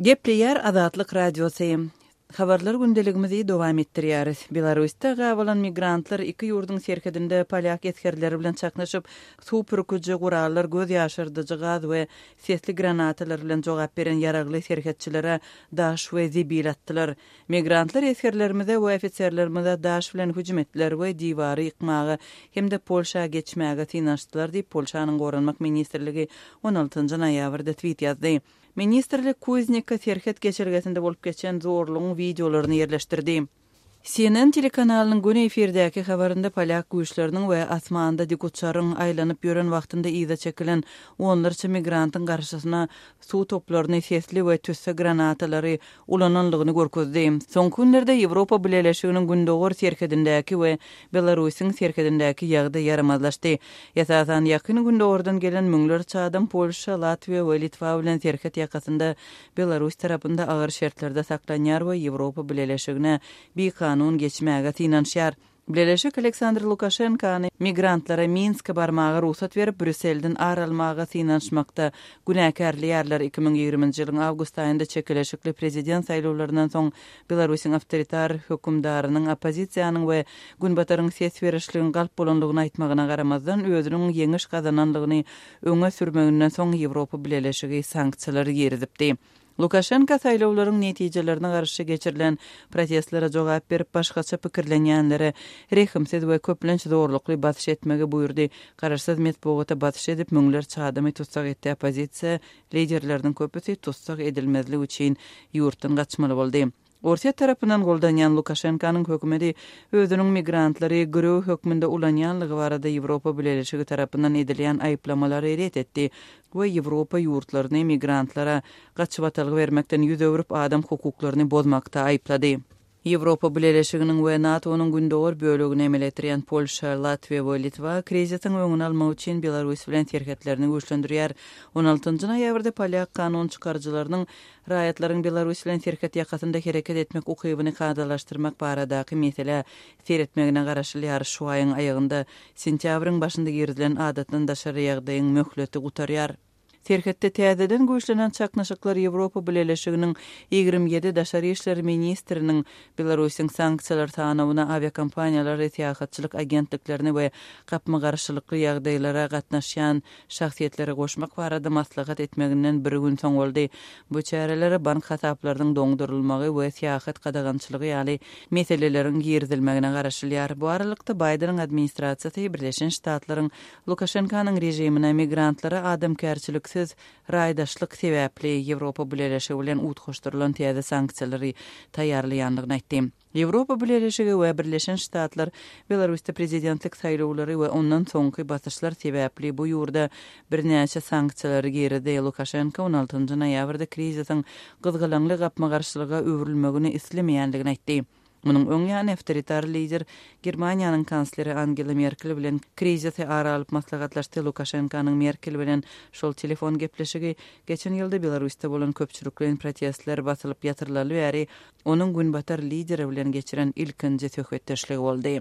Gepleýär Azatlyk Radiosy. Habarlar gündeligimizi dowam etdirýäris. Belarusda gabalan migrantlar iki ýurduň serhedinde polýak esgerleri bilen çaknyşyp, suw pürküji gurallar, göz ýaşardyjy gaz we sesli granatalar bilen jogap beren ýaragly serhetçilere daş we zibil atdylar. Migrantlar esgerlerimize we ofiserlerimize daş bilen hüjüm etdiler we diwary ýykmaga hem-de Polşa geçmäge synanyşdylar diýip, Polşanyň Goranmak ministrligi on altynjy noýabrda tweet ýazdy. Ministrlik Kuznika serhet geçelgesinde bolup geçen zorlugyň wideolaryny ýerleşdirdi. CNN telekanalynyň göni efirdäki habarynda polýak güýçleriniň we asmanda dikuçaryň aýlanyp ýören wagtynda yza çekilen onlarça migrantyň garşysyna suw toplaryny, sesli we tüsse granatalary ulananlygyny görkezdi. Soňky günlerde Ýewropa Bileleşiginiň gündogar serhedindäki we Belarusyň serhedindäki ýagdaý ýaramazlaşdy. Esasan, Ýakyn Gündogardan gelen müňlerçe adam Polşa, Latwiýa we Litwa bilen serhet ýakasynda Belarus tarapynda agyr şertlerde saklanýar we Ýewropa Bileleşigine bikanun geçmäge synanyşýar. Bileleşik Aleksandr Lukaşenkany migrantlara Minske barmaga rugsat berip, Brýusselden ar almaga synanyşmakda günäkärleýärler. 2020-nji ýylyň awgust aýynda çekeleşikli prezident saýlawlaryndan soň Belarusyň awtoritar hökümdarynyň oppozisiýanyň we Günbataryň ses berişligiň galp bolandygyny aýtmagyna garamazdan, özüniň ýeňiş gazanandygyny öňe sürmeginden soň Ýewropa Bileleşigi sanksiýalary girizipdi. Lukaşenko saýlawlaryň netijelerine garşy geçirilen protestlere jogap berip, başgaça pikirlenýänlere rehimsiz we köplenç zorlukly basyş etmegi buýurdy, garaşsyz metbugata basyş edip, müňlerçe adamy tussag etdi, oppozisiýa liderleriniň köpüsi tussag edilmezlik üçin ýurtdan gaçmaly boldy. Orsýet tarapyndan goldanýan Lukaşenkanyň hökümeti özüniň migrantlary girew hökmünde ulanýanlygy barada Ýewropa Bileleşigi tarapyndan edilýän aýyplamalary ret etdi we Ýewropa ýurtlaryny migrantlara gaçybatalga bermekden ýüz öwrüp adam hukuklaryny bozmakda aýyplady. Ýewropa Bileleşiginiň we NATO-nyň gündogar bölegini emele getirýän Polşa, Latwiýa we Litwa krizisiň öňüni almak üçin Belarus bilen serhetlerini güýçlendirýär. On altynjy noýabrda polýak kanun çykaryjylarynyň Raýatlaryň Belarus bilen serhet ýakasynda hereket etmek ukybyny kadalaşdyrmak baradaky meselä seretmegine garaşylýar. Şu aýyň aýagynda, sentýabryň başynda girizilen adatdan daşary ýagdaýyň möhleti gutarýar. Serhetde täzeden güýçlenen çaknyşyklar Ýewropa Bileleşiginiň 27 daşary işler ministriniň Belarusyň sanksiýalar sanawyna awiakompaniýalary, syýahatçylyk agentliklerini we gapma-garşylykly ýagdaýlara gatnaşýan şahsyýetleri goşmak barada maslahat etmeginden bir gün soň boldy. Bu çärelere bank hasaplarynyň doňdurylmagy we syýahat gadagançylygy ýaly meseleleriň girizilmegine garaşylýar. Bu aralykda, Baýdeniň administrasiýasy Birleşen Ştatlaryň Lukaşenkanyň režimine migrantlara adamkärçiliksiz raýdaşlyk sebäpli Ýewropa Bileleşigi bilen utgaşdyrylan täze sanksiýalary taýýarlaýandygyny aýtdy. Ýewropa Bileleşigi we Birleşen Ştatlar Belarusda prezidentlik saýlawlary we ondan soňky basyşlar sebäpli bu ýurda birnäçe sanksiýalary girizdi. Lukaşenko on altynjy noýabrda krizisiň gyzgalaňly gapma-garşylyga öwrülmegini islemeýändigini aýtdy. Munuň öň ýany awtoritar lider Germaniýanyň kansleri Angela Merkel bilen krizisi ara alyp maslahatlaşdy. Lukaşenkonyň Merkel bilen şol telefon gepleşigi geçen ýylda Belarusda bolan köpçülikleýin protestler basylyp ýatyrylaly bäri Onuň Günbatar lideri bilen geçiren ilkinji söhbetdeşligi boldy.